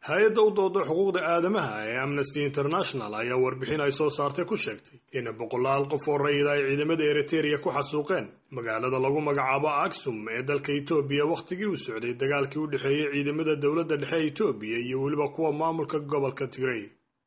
Hay-adda u dooda xuquuqda aadamaha ee Amnesty International ayaa warbixin ay soo saartay ku sheegtay in boqolaal qof oo rayida ay ciidamada Eritereya ku xasuuqeen magaalada lagu magacaabo Aksum ee dalka Itoobiya wakhtigii uu socday dagaalkii u dhexeeyey ciidamada dowladda dhexe ee Itoobiya iyo weliba kuwa maamulka gobolka Tigray.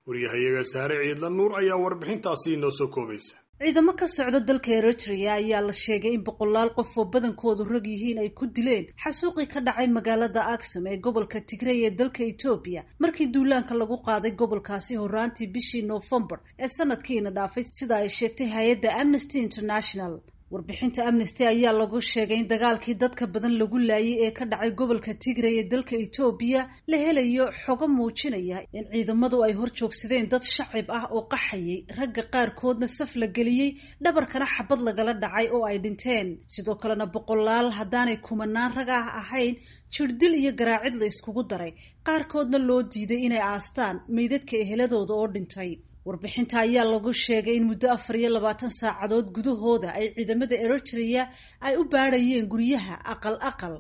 Waryahayaga Sahre Ciidla Nuur ayaa warbixintaasi inoo soo koobaysa. Ciidamo ka socda dalka Eritrea ayaa la sheegay in boqolaal qof oo badankoodu rag yihiin ay ku dileen xasuuqii ka dhacay magaalada Aksum ee gobolka Tigray ee dalka Etoobiya markii duulaanka lagu qaaday gobolkaasi horaantii bishii Noofembar ee sanadkiina dhaafay, sida ay sheegtay hay-adda Amnesty International. Warbixinta Amnesty ayaa lagu sheegay in dagaalkii dadka badan lagu laayay ee ka dhacay gobolka Tigray ee dalka Etoobiya la helayo xogo muujinaya in ciidamadu ay hor joogsadeen dad shacib ah oo qaxayay, ragga qaarkoodna saf la geliyey, dhabarkana xabad lagala dhacay oo ay dhinteen. Sidoo kalena boqolaal haddaanay kumanaan rag ah ahayn jirdil iyo garaacid la iskugu daray, qaarkoodna loo diiday inay aastaan meydadka eheladooda oo dhintay. Warbixinta ayaa lagu sheegay in muddo 24 saacadood gudahooda ay ciidamada Eritrea ay u baadhayeen guryaha aqal aqal,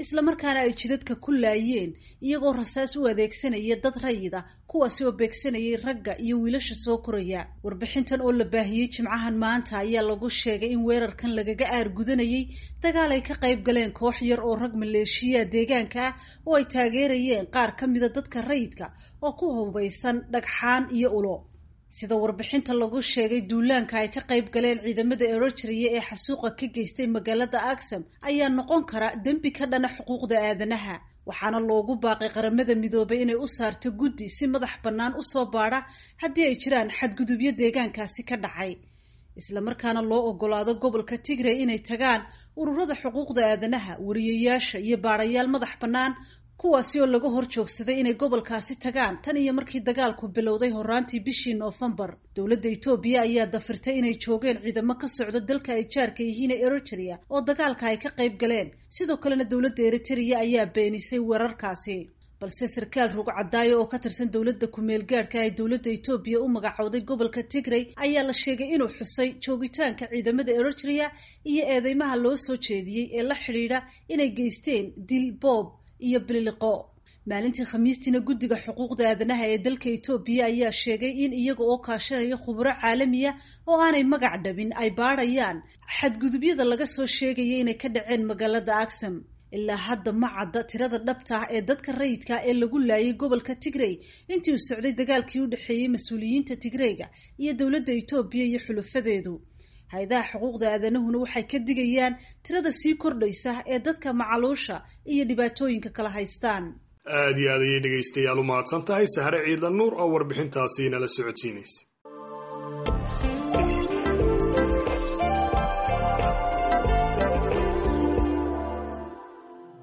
islamarkaana ay jidadka ku laayeen iyagoo rasaas u adeegsanaya dad rayida, kuwaasi oo beegsanayay ragga iyo wiilasha soo koraya. Warbixintan oo la baahiyey Jimcahan maanta ayaa lagu sheegay in weerarkan lagaga aargudanayay dagaal ay ka qayb galeen koox yar oo rag maleeshiya deegaanka ah oo ay taageerayeen qaar ka mida dadka rayidka oo ku hubaysan dhagxaan iyo ulo. Sida warbixinta lagu sheegay, duulaanka ay ka qayb galeen ciidamada Eritrea ee xasuuqa ka geystay magaalada Aksum ayaa noqon kara dembi ka dhana xuquuqda aadanaha, waxaana loogu baaqay Qaramada Midoobay inay u saarto guddi si madax bannaan usoo baadha haddii ay jiraan xadgudubyo deegaankaasi ka dhacay, islamarkaana loo ogolaado gobolka Tigray inay tagaan ururada xuquuqda aadanaha, wariyayaasha iyo baadhayaal madax bannaan, kuwaasi oo laga hor joogsaday inay gobolkaasi tagaan tan iyo markii dagaalku bilowday horaantii bishii Noofembar. Dowladda Etoobiya ayaa dafirtay inay joogeen ciidamo ka socda dalka ay jaarka yihiin ee Eritrea oo dagaalka ay ka qayb galeen. Sidoo kalena dowladda Eritrea ayaa beenisay weerarkaasi, balse sarkaal rugcadaayo oo ka tirsan dowladda ku-meel gaadhka ay dowladda Etoobiya u magacowday gobolka Tigray ayaa la sheegay inuu xusay joogitaanka ciidamada Eritrea iyo eedeymaha loo soo jeediyey ee la xidhiidha inay geysteen dil, boob iyo bililiqo. Maalintii Khamiistiina guddiga xuquuqda aadanaha ee dalka Etoobiya ayaa sheegay in iyaga oo kaashanaya khuburo caalamiya oo aanay magac dhabin ay baadhayaan xadgudubyada laga soo sheegaya inay ka dhaceen magaalada Aksum. Ilaa hadda ma cadda tirada dhabta ah ee dadka rayidka ee lagu laayay gobolka Tigray intii uu socday dagaalkii u dhexeeyey mas-uuliyiinta Tigrayga iyo dowladda Etoobiya iyo xulufadeedu. Hay-adaha xuquuqda aadanahuna waxay ka digayaan tirada sii kordhaysa ee dadka macaluusha iyo dhibaatooyinka kala haystaan. Aad iyo aad ayay dhegaystayaal u mahadsan tahay Sahre Ciidla Nuur oo warbixintaasi nala socodsiinaysa.